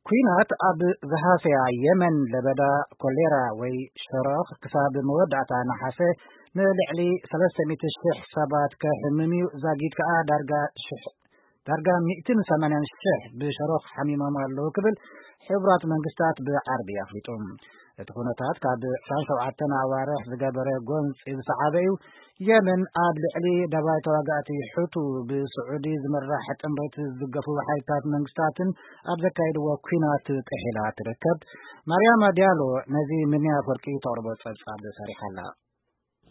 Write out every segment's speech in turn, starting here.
ኲናት ኣብ ዝሃሰያ የመን ለበዳ ኮሌራ ወይ ሸሮኽ ክሳብ መወዳእታ ነሓሰ ንልዕሊ ሰለስተ ሚእቲ ሽሕ ሰባት ከሕምም እዩ። ዛጊድ ከኣ ዳርጋ ሽሕ ዳርጋ ሚእትን ሰማንያን ሽሕ ብሸሮኽ ሓሚሞም ኣለዉ ክብል ሕቡራት መንግስታት ብዓርቢ ኣፍሊጡ። እቲ ኩነታት ካብ ዕስራን ሸውዓተን ኣዋርሕ ዝገበረ ጎንፂ ዝሰዓበ እዩ። የመን ኣብ ልዕሊ ደባይ ተዋጋእቲ ሕቱ ብስዑዲ ዝምራሕ ጥምረት ዝድገፉ ሓይልታት መንግስታትን ኣብ ዘካየድዎ ኲናት ጥሒላ ትርከብ። ማርያማ ዲያሎ ነዚ ምንያ ፍርቂ ተቕርቦ ጸብጻብ ሰሪሓ ኣላ።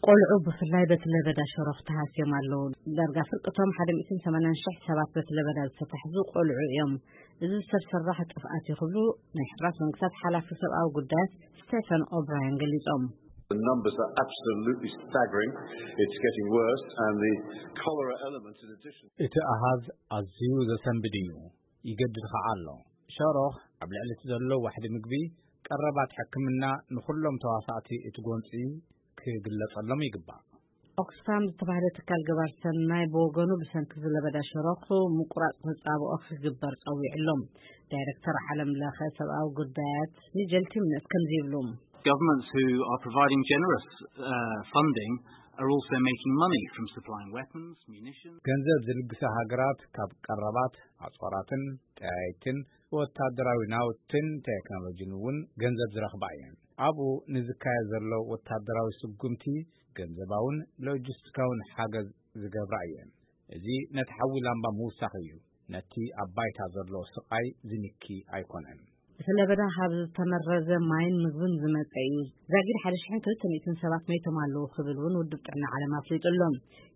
ቆልዑ ብፍላይ በቲ ለበዳ ሸሮኽ ተሃስዮም ኣለዉ። ዳርጋ ፍርቅቶም ሓደ ሚእትን ሰማንያን ሽሕ ሰባት በቲ ለበዳ ዝተታሕዙ ቆልዑ እዮም። እዚ ሰብ ሰራሕ ጥፍኣት እዩ ክብሉ ናይ ሕቡራት መንግስታት ሓላፊ ሰብኣዊ ጉዳያት ስቴፈን ኦብራያን ገሊጾም። The numbers are absolutely staggering. It's getting worse, and the cholera element, in addition. እቲ ኣሃዝ ኣዝዩ ዘሰንብድ እዩ። ይገድድ ኸዓ ኣሎ። ሸሮኽ ኣብ ልዕሊ እቲ ዘሎ ዋሕዲ ምግቢ፣ ቀረባት ሕክምና፣ ንኹሎም ተዋሳእቲ እቲ ጎንፂ ክግለጸሎም ይግባእ። ኦክስፋም ዝተባህለ ትካል ገባር ሰናይ ብወገኑ ብሰንኪ ዝለበዳ ሸሮኽ ምቁራጽ ተጻብኦ ክግበር ጸዊዑ ኣሎ። ዳይሬክተር ዓለም ለኸ ሰብኣዊ ጉዳያት ኒጀል ቲምነት ከምዚ ይብሉ። Governments who are providing generous uh, funding are also making money from supplying weapons, munitions. ገንዘብ ዝልግሳ ሃገራት ካብ ቀረባት ኣጽዋራትን ጠያይትን ወታደራዊ ናውትን ቴክኖሎጂን እውን ገንዘብ ዝረኽባ እየን። ኣብኡ ንዝካየድ ዘሎ ወታደራዊ ስጉምቲ ገንዘባውን ሎጂስቲካውን ሓገዝ ዝገብራ እየን። እዚ ነቲ ሓዊ ላምባ ምውሳኽ እዩ። ነቲ ኣብ ባይታ ዘሎ ስቓይ ዝንኪ ኣይኮነን። እቲ ለበዳ ካብ ዝተመረዘ ማይን ምግብን ዝመጸ እዩ። ዛጊድ ሓደ ሽሕን ክልተ ሚእትን ሰባት መይቶም ኣለዉ ክብል እውን ውድብ ጥዕና ዓለም ኣፍሊጡ ኣሎ።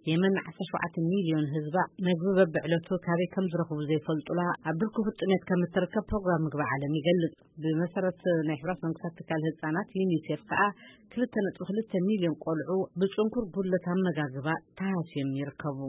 የመን ዓሰርተ ሸውዓተ ሚልዮን ህዝባ መግቢ በብዕለቱ ካበይ ከም ዝረኽቡ ዘይፈልጡላ ኣብ ድርኩ ፍጥነት ከም እትርከብ ፕሮግራም ምግቢ ዓለም ይገልጽ። ብመሰረት ናይ ሕብራት መንግስታት ትካል ህጻናት ዩኒሴፍ ከኣ ክልተ ነጥቢ ክልተ ሚልዮን ቆልዑ ብጽንኩር ጉድለት ኣመጋግባ ተሃስዮም ይርከቡ።